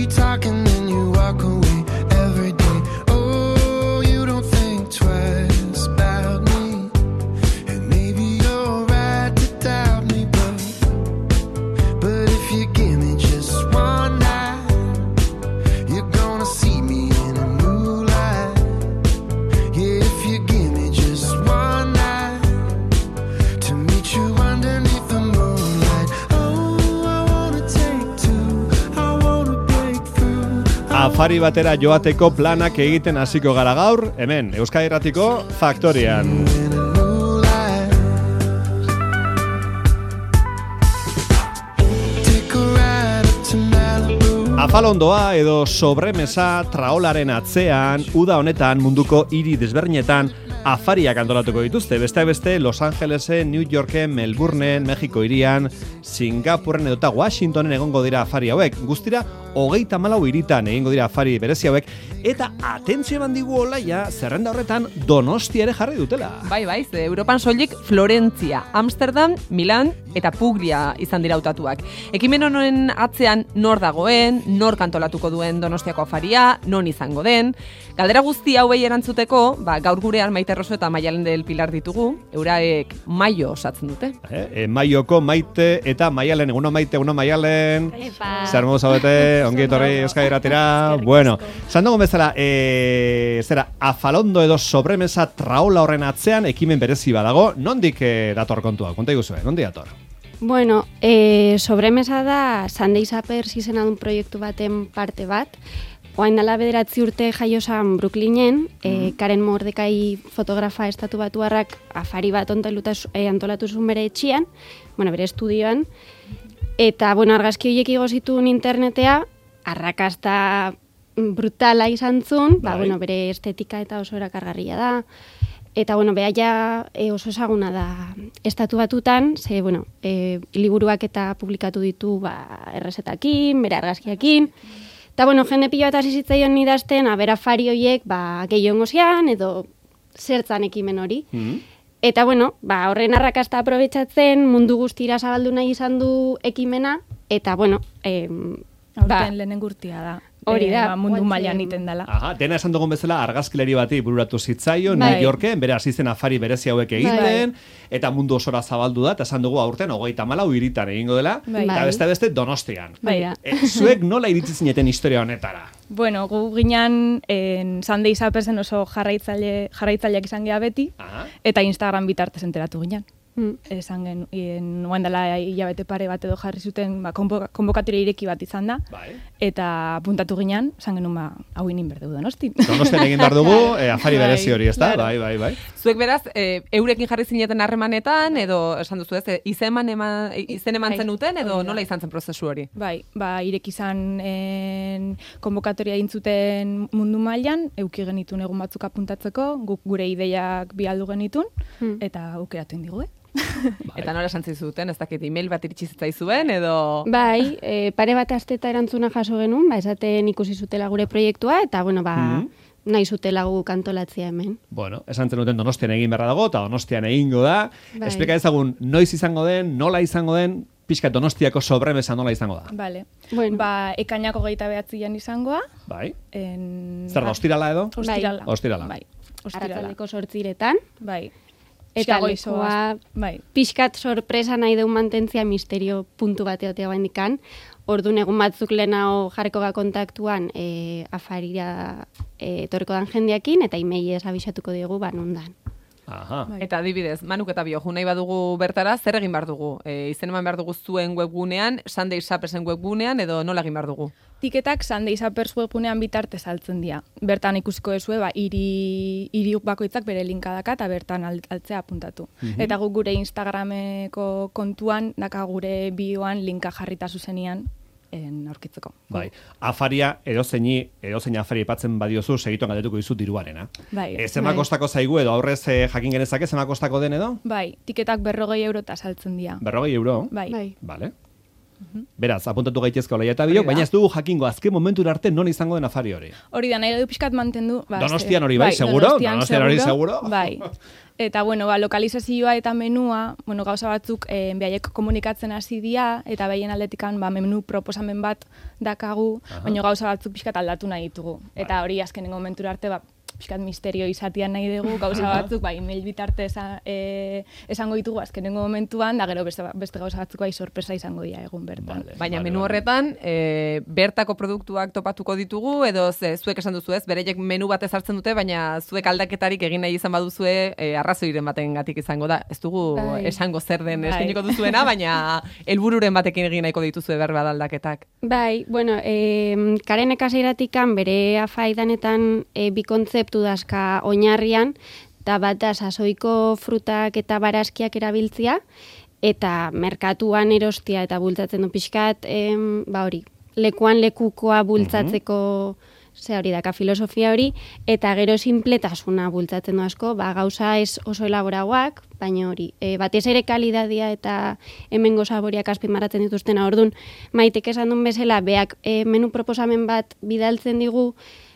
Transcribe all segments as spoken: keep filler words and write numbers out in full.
We talk and then you walk away every day. Oh, you don't think twice about me. And maybe you're right to doubt me, but But if you give me just one night, you're gonna see me in a new light. Yeah, if you give me just one night to meet you underneath the moonlight. Oh, I wanna take two, I wanna break through. Afari batera joateko planak egiten hasiko gara gaur, hemen Euskadi Irratiko Faktorian. In a new light. Take a ride up to Malibu. Afalondoa edo sobremesa traolaren atzean, uda honetan munduko hiri desberdinetan afariak antolatuko dituzte. Besteak beste, Los Angelesen, New Yorken, Melbourneen, Mexiko hirian, Singapurren edota Washingtonen egongo dira afari hauek. Guztira, hogeita hamalau hiritan egingo dira afari berezi hauek. Eta atentzio eman digu olaia, zerrenda horretan Donostia ere jarri dutela. Bai, bai, ze Europan soilik Florentzia, Amsterdam, Milan eta Puglia izan dira hautatuak. Ekimen honen atzean nor dagoen, nor kantolatuko duen Donostiako afaria, non izango den. Galdera guzti hauei erantzuteko, ba, gaur gurean Maite Roso eta Maialen del Pilar ditugu, euraek maio osatzen dute. Eh, e, maioko Maite eta Maialen, eguno Maite, eguno Maialen. Zer modu zaudete, ongi etorri Euskadi Irratira. Bueno, esan dugun bezala, e, zera, afalondo edo sobremesa traola horren atzean ekimen berezi badago, nondik e, dator kontua? Konta iguzue, nondik dator? Bueno, eh, sobremesa da Sunday Suppers izena dun proiektu baten parte bat. Oain dela bederatzi urte jaiosan Brooklynen, eh, Karen Mordekai fotografa estatu batuarrak afari bat eh, antolatu zuen bere etxian, bueno, bere estudioan, eta bueno, argazki horiek igo zituen internetea, arrakasta brutala izan zuen, ba, bueno, bere estetika eta oso erakargarria da. Eta, bueno, beha ja e, oso ezaguna da estatu batutan, ze, bueno, e, liburuak eta publikatu ditu ba, errezetakin, bere argazkiakin. Eta, bueno, jende pilo bat hasi zitzaion idazten, abera afari horiek, ba, gehiongo zian, edo zertzan ekimen hori. Mm-hmm. Eta, bueno, ba, horren arrakasta aprobetxatzen, mundu guztira zabaldu nahi izan du ekimena, eta, bueno, e, aurten ba, lehenen gurtia da. Hori da, E, ba, mundu guatzen- mailan iten dela. Aha, dena esan dugun bezala argazkileri bati bururatu zitzaio, Bai. New Yorken, bere hasi zen afari berezi hauek egiten, eta mundu osora zabaldu da, eta esan dugu aurten hogeita hamalau hiritan egingo dela, Bai. eta Bai. beste beste Donostian. bai da. E, zuek nola iritsi zineten historia honetara? Bueno, gu ginean en Sunday Suppersen oso jarraitzaile, jarraitzaileak izan geha beti, Aha. eta Instagram bitartez enteratu ginean. Mm. Esan gen, nuen dela hilabete pare bat edo jarri zuten, ba, konbo- konbokatore ireki bat izan da, Bai. eta puntatu ginean, esan genuen, ba, hau inin berdeu Donostin. Donostian egin behar dugu, e, afari Bai, berezi hori, ezta? claro. Bai, bai, bai. Zuek beraz, e, eurekin jarri zineten harremanetan, edo esan duzu ez, e, izen eman, izen eman Bai, zenuten, edo hori da. nola izan zen prozesu hori? Bai, ba, ireki izan en, konbokatoria intzuten mundu mailan, euki genitun egun batzuk apuntatzeko, guk gure ideiak bialdu genitun, Hmm. eta aukeratu indigu, eh? Eta nola esan zizuten, ez dakit, email bat iritsi zitzaizuen, edo... Bai, e, pare bat asteta erantzuna jaso genuen, ba, esaten ikusi zutela gure proiektua, eta, bueno, ba, Mhm. nahi zutela gu kantolatzea hemen. Bueno, esan zenuten Donostian egin beharra dago, eta Donostian egingo da. Bai. Esplika ezagun, noiz izango den, nola izango den, pixka Donostiako sobremesa nola izango da. Vale. Bueno. Ba, ekainako geita behatzian izangoa. Bai? En... Zer da, ostirala edo? Ostirala. Ostirala. Bai, ostirala. Arratsaldeko sortziretan, Bai. eta Goizo lekoa bai. pixkat sorpresa nahi deun mantentzia misterio puntu bat egotea baindikan. Orduan egun batzuk lehenago jarriko ga kontaktuan e, afarira e, etorriko dan jendeakin, eta imeiez abisatuko diegu ba nondan. Aha. Bai. Eta adibidez, Manuk eta Bio, nahi badugu bertara, zer egin behar dugu? E, izen eman behar dugu zuen webgunean, Sunday Suppersen webgunean, edo nola egin behar dugu? Tiketak Sunday Suppers webgunean bitartez saltzen dira. Bertan ikusiko dezue, ba, hiri, hiri bakoitzak bere linka daka eta bertan alt- altzea apuntatu. Eta guk gure Instagrameko kontuan, daka gure bioan linka jarrita zuzenian en aurkitzeko. Bai, afaria edozeini, edozein afari aipatzen badiozu, segituan galdetuko dizu diruarena. Bai. E, zema kostako zaigu edo aurrez e, jakin genezake, zema kostako den edo? Bai, tiketak berrogei eurota saltzen dira. Berrogei euro? Bai. Bai. Vale. Beraz, apuntatu gaitezko olaia eta biok, Hori da. baina ez dugu jakingo azken momentura arte non izango den afari hori. Hori da, nahi du pixkat mantendu. Ba, Donostian ze- hori bai, seguro? Donostian Donostian hori seguro? Bai. Eta, bueno, ba, lokalizazioa eta menua, bueno, gauza batzuk eh, behaiek komunikatzen hasi dira, eta behien aldetikan ba, menu proposamen bat dakagu, baina gauza batzuk pixkat aldatu nahi ditugu. Eta hori azkenengo momentura arte, ba, pixkat misterio izatean nahi dugu, gauza batzuk, ba, email bitarte esa, e, esango ditugu azkenengo momentuan, da gero beste, beste gauza batzuk bai sorpresa izango dira egun bertan. Vale. Baina menu horretan, e, bertako produktuak topatuko ditugu, edo ze, zuek esan duzu ez, bereiek menu bat ezartzen dute, baina zuek aldaketarik egin nahi izan baduzue, e, arrazoiren batengatik izango da. Ez dugu Bai. esango zer den Bai. eskainiko duzuena, baina helbururen batekin egin nahiko dituzue berba da aldaketak. Bai, bueno, e, Karen ekasiratikan bere afaidanetan e, bi kontzeptu dazka oinarrian, eta bat da sasoiko frutak eta barazkiak erabiltzia, eta merkatuan erostia eta bultzatzen du pixkat, em, ba hori, lekuan lekukoa bultzatzeko, ze hori daka filosofia hori, eta gero sinpletasuna bultzatzen du asko, ba gauza ez oso elaboragoak, baina hori, e, batez ere kalidadia eta hemengo saboriak azpimarratzen dituztena, ordun Maitek esan duen bezala, beak e, menu proposamen bat bidaltzen digu,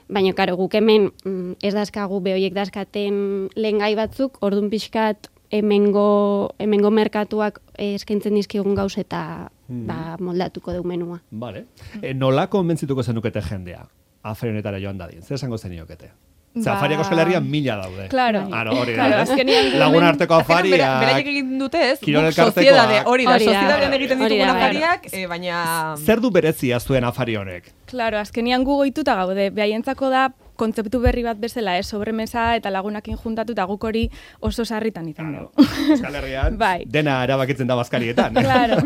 baina, karo, guk hemen mm, ez dazkagu behoiek dazkaten lehengai batzuk, ordun pixkat hemengo, hemengo merkatuak eh, eskaintzen dizkigun gauz eta ba, moldatuko du menua. Vale. E, nola konbentzituko zenukete jendea? Afari honetara joan dadin. Zer esango zeniokete? Ze Ba- afariak Euskal Herrian mila daude. Claro. Ano, hori da. Claro, ez? azkenean gu Lagun hemen- arteko Azkenean, bera- afariak. beraiek egin dute ez, Kirol guk elkartekoak. soziedade, hori da, Hori da. sozietatean egiten Hori ditugun da, bai. afariak, eh, baina... Zer du berezia zuen afari honek? Claro, azkenian gu goituta gaude, behaientzako da kontzeptu berri bat bezala, ez, sobremesa eta lagunakin juntatu, eta guk hori oso sarritan izan dugu. Euskal Herrian Bai. dena erabakitzen da bazkarietan. Claro,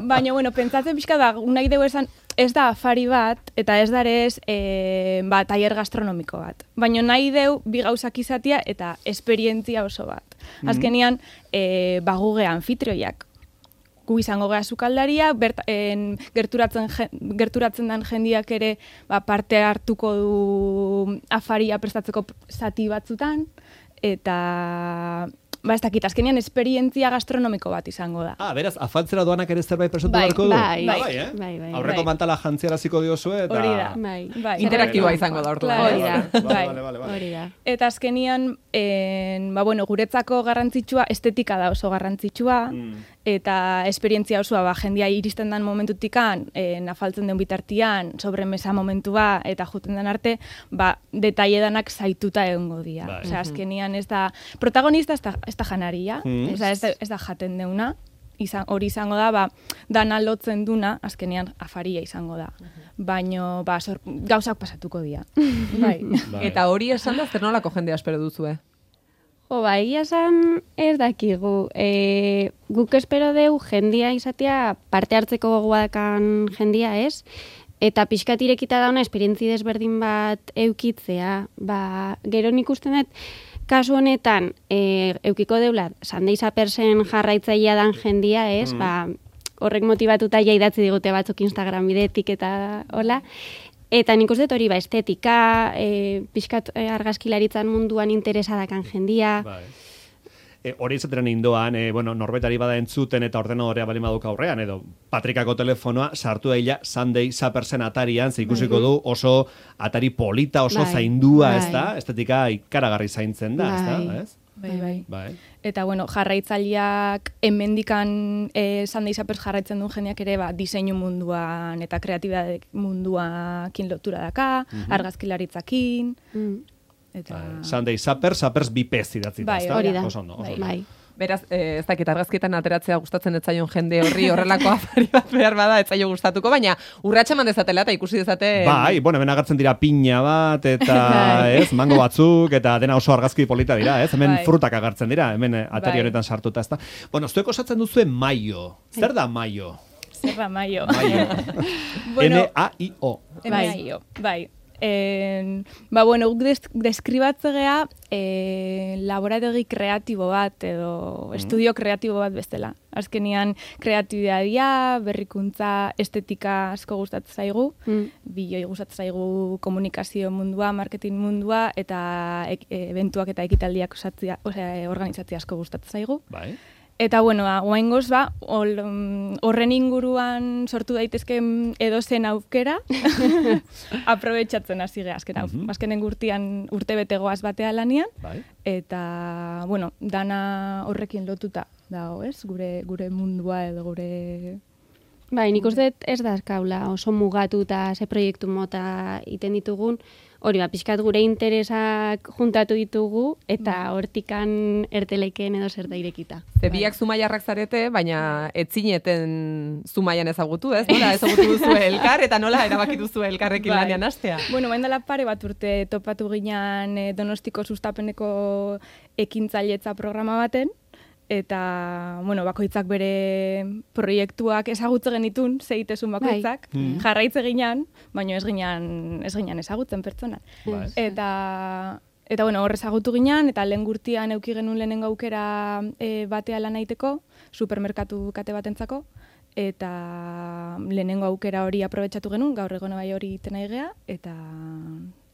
baina, bueno, pentsatzen pixka da, nahi dugu esan, ez da afari bat, eta ez darez, e, ba, tailer gastronomiko bat. Baina nahi deu bi gauzak izatia eta esperientzia oso bat. Azkenian, e, ba, guge anfitrioiak. Gu izango gea sukaldaria, bert, en, gerturatzen, je- gerturatzen den jendiak ere ba, parte hartuko du afaria prestatzeko zati batzutan, eta ba, ez dakit, azkenean esperientzia gastronomiko bat izango da. Ah, beraz, afaltzera doanak ere zerbait presatu Bai, beharko du? bai, Ah, bai, bai, eh? bai, bai. Aurreko Bai. mantala jantziaraziko diozue eta... Hori da. Bai. Bai. Interaktiboa izango da orduan. Claro. Hori da. Vale, Bai. vale, vale, vale. Hori da. Eta azkenian, en, ba, bueno, guretzako garrantzitsua, estetika da oso garrantzitsua, eta esperientzia osoa, ba, jendia iristen den momentutikan, en, afaltzen den bitartian, sobremesa momentua, eta juten den arte, ba, detailledanak zaituta egongo dira. Bai. Osea, azkenian ez da, protagonista ez da, ez da janaria, Mm. osea, ez da, ez da jaten deuna, izan, hori izango da, ba, dana lotzen duna, azkenean afaria izango da. Baino, ba, sor, gauzak pasatuko dira. Bai. Bai. Eta hori esan da, zer nolako jendea espero duzue? Jo, ba, egia esan ez dakigu. E, guk espero deu jendia izatea parte hartzeko gogoakan jendia ez, eta pixkat irekita dauna esperientzi desberdin bat eukitzea. Ba, gero nik usten dut, kasu honetan, e, eukiko deula, Sandeiza persen jarraitzailea dan jendia ez, ba, horrek motibatuta ja idatzi digute batzuk Instagram bidetik eta hola, eta nik uste dut hori ba, estetika, e, pixkat e, argazkilaritzan munduan interesadakan jendia. Bai. E, hori izateran indoan, e, bueno, norbetari bada entzuten eta ordenadorea bali maduk aurrean, edo Patrikako telefonoa sartu daila Sunday Suppersen atarian, ze ikusiko du oso atari polita, oso Bai, zaindua, bai. ez da? Estetika ikaragarri zaintzen da, ez Bai. da? Ez? Bai, bai. Bai. Eta, bueno, jarraitzaileak hemendikan e, Sunday Suppers jarraitzen duen jendeak ere, ba, diseinu munduan eta kreatibidade munduakin lotura daka, argazkilaritzakin, Mm. eta... Bai. Sunday Supper, Suppers bipez idatzi da, Bai, ez da? hori da. Oso ondo, oso Bai. ondo. Bai. Beraz, eh, ez dakit argazkietan ateratzea gustatzen ez zaion jende horri horrelako afari bat behar bada ez zaio gustatuko, baina urratsa eman dezatela eta ikusi dezate... Bai, bueno, hemen agertzen dira piña bat, eta, Bai. ez, mango batzuk, eta dena oso argazki polita dira, ez? Hemen Bai. frutak agertzen dira, hemen eh, atari Bai. honetan sartuta, ez da? Bueno, zuek osatzen duzue maio. Zer da maio? Zer da maio. Maio. Bueno, N A I O. Bai. Bai. En, ba, bueno, guk des, deskribatze gea e, laborategi kreatibo bat edo estudio kreatibo bat bestela. Azkenian kreatibidadia, berrikuntza, estetika asko gustatzen zaigu, Mm. biloi gustatzen zaigu komunikazio mundua, marketing mundua eta ek, eventuak eta ekitaldiak osatzea, osea, organizatzea asko gustatzen zaigu. Bai. Eta, bueno, ba, guaingoz, ba, ol, um, horren inguruan sortu daitezken edozen aukera, aprobetxatzen hasi geha, azken, Mhm. azkenen urtean urte betegoaz batea lanian, Bai. eta, bueno, dana horrekin lotuta dago, ez? Gure, gure mundua edo gure... Bai, nik uste dut ez da azkaula oso mugatuta ze proiektu mota iten ditugun, hori ba, pixkat gure interesak juntatu ditugu, eta hortikan erteleken edo zer da irekita. Ze biak zumaiarrak zarete, baina etzineten zumaian ezagutu, ez? Nola ezagutu duzu elkar, eta nola erabaki duzu elkarrekin Bai. lanean hastea? Bueno, bain dela pare bat urte topatu ginean eh, Donostiko sustapeneko ekintzailetza programa baten, eta, bueno, bakoitzak bere proiektuak ezagutze genitun, zeitezun bakoitzak, Bai. jarraitze ginean, baina ez ginean, ez ginean ezagutzen pertsona. Bai. Eta, eta bueno, hor ezagutu ginean, eta lehen gurtian euki genuen lehenengo aukera e, batea lan egiteko, supermerkatu kate batentzako, eta lehenengo aukera hori aprobetxatu genuen, gaur egon bai hori iten nahi gea, eta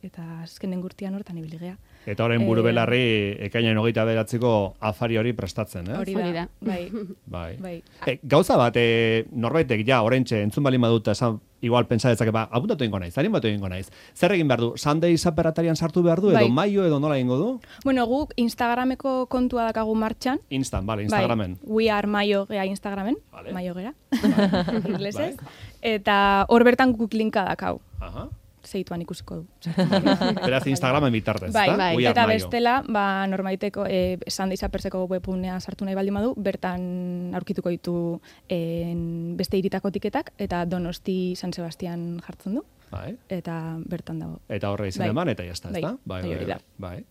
eta azkenen gurtian hortan ibili gea. Eta orain buru belarri ekainaren hogeita beratziko afari hori prestatzen, eh? Hori Hori da, da. bai. Bai. Bai. E, gauza bat, e, norbaitek ja, oraintxe, entzun bali madut, esan, igual pentsa detzake, ba, apuntatu egingo naiz, animatu egingo naiz. Zer egin behar du? Sunday zaperatarian sartu behar du, edo Bai. maio, edo nola egingo du? Bueno, guk Instagrameko kontua dakagu martxan. Instant, vale, Instagramen. Bai, we are maio gea Instagramen, Vale. maio gera, inglesez. Eta hor bertan guk linka dakau, Aha. zeituan ikusiko du. Beraz, Instagramen bitartez, Bai, ezta? bai. We are eta maio. bestela, ba, normaiteko, e, Sunday Zaperseko webgunea sartu nahi baldin badu, bertan aurkituko ditu en, beste hiritako tiketak, eta Donosti San Sebastian jartzen du, Bai. eta bertan dago. Eta horre izan Bai. eman, eta jazta, Bai, ezta? bai, hori da. Bai.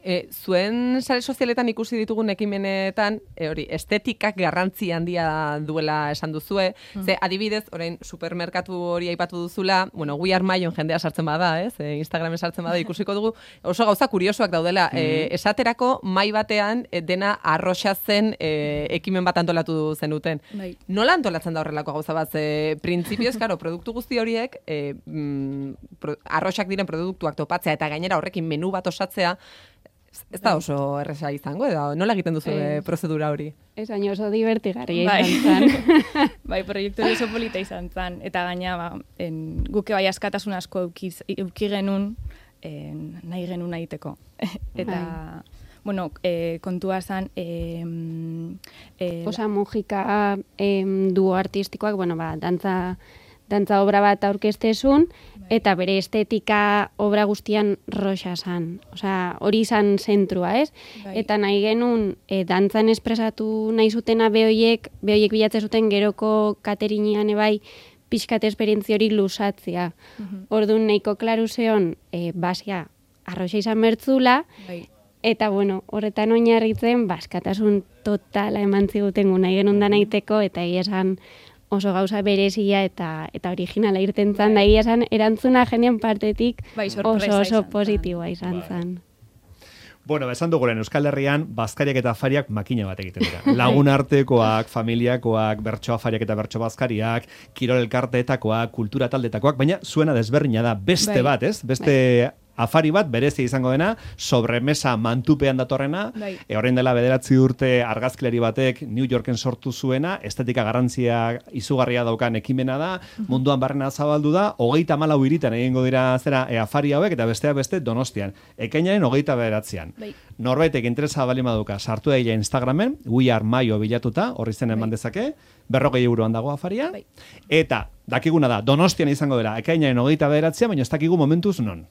E, zuen sare sozialetan ikusi ditugun ekimenetan, e, hori, estetikak garrantzi handia duela esan duzue, ze adibidez, orain supermerkatu hori aipatu duzula, bueno, We Are Maion jendea sartzen bada, ez? E, Instagramen sartzen bada ikusiko dugu, oso gauza kuriosoak daudela. E, esaterako mai batean e, dena arroxa zen e, ekimen bat antolatu zenuten. Bai. Nola antolatzen da horrelako gauza bat? Ze, printzipioz, karo, produktu guzti horiek, e, mm, pro, arroxak diren produktuak topatzea eta gainera horrekin menu bat osatzea, ez da oso erresa izango, edo nola egiten duzu e, Ez. prozedura hori? Ez baina oso divertigarria Bai. izan zen. Bai, proiektu hori oso polita izan zen, eta gaina, ba, en, guke bai askatasun asko eukiz, euki genuen, en, nahi genuen egiteko. Eta, bueno, e, kontua zen, e, e, Osa mugika em, duo artistikoak, bueno, ba, dantza, dantza obra bat aurkeztezun, eta bere estetika obra guztian roxa zan. Osea, hori izan zentrua, ez? Bai. Eta nahi genuen, e, dantzan espresatu nahi zutena behoiek, behoiek bilatzen zuten geroko katerinean ebai, pixkat esperientzia hori lusatzea. Orduan nahiko klaru zeon, e, basia, arroxa izan bertzula, bai. eta bueno, horretan oinarritzen, baskatasun totala eman ziguten gu nahi genuen da nahiteko, eta egia esan oso gauza berezia eta eta originala irten zan, da egia esan erantzuna jenien partetik Bai, oso sorpresa oso izan zen. positiboa izan Bai. zen. Bueno, esan duguren Euskal Herrian, bazkariak eta afariak makina bat egiten dira. Lagun artekoak, familiakoak, bertso afariak eta bertso bazkariak, kirol elkarteetakoak, kultura taldetakoak, baina zuena desberdina da beste Bai. bat, ez? Beste afari bat, berezia izango dena, sobremesa mantupean datorrena, Bai. e, orain dela bederatzi urte argazkilari batek New Yorken sortu zuena, estetika garrantzia izugarria daukan ekimena da, munduan barrena zabaldu da, hogeita malau hiritan egingo dira zera e, afari hauek, eta besteak beste Donostian. Ekainaren hogeita bederatzean. Bai. Norbaitek interesa bali maduka, sartu daile Instagramen, We Are Maio bilatuta, horri zen eman dezake, berrogei euroan dago afaria, Bai. eta dakiguna da, Donostian izango dira, ekainaren hogeita bederatzean, baina ez dakigu momentuz non.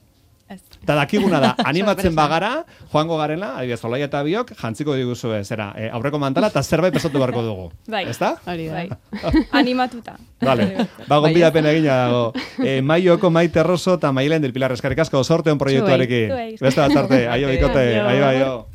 Ez. Eta dakiguna da, animatzen bagara, joango garela, adibidez, Olaia eta biok, jantziko diguzue, zera, e, aurreko mantala, eta zerbait pesatu beharko dugu. Bai. Ezta? Hori da. Bai. Animatuta. Vale, ba, gonbidapen egina dago. E, Maioko Maite Rosso eta Mailen del Pilar eskerrik asko sorteon proiektuarekin. Zuei. Beste bat arte, aio bikote, Aio. aio, aio.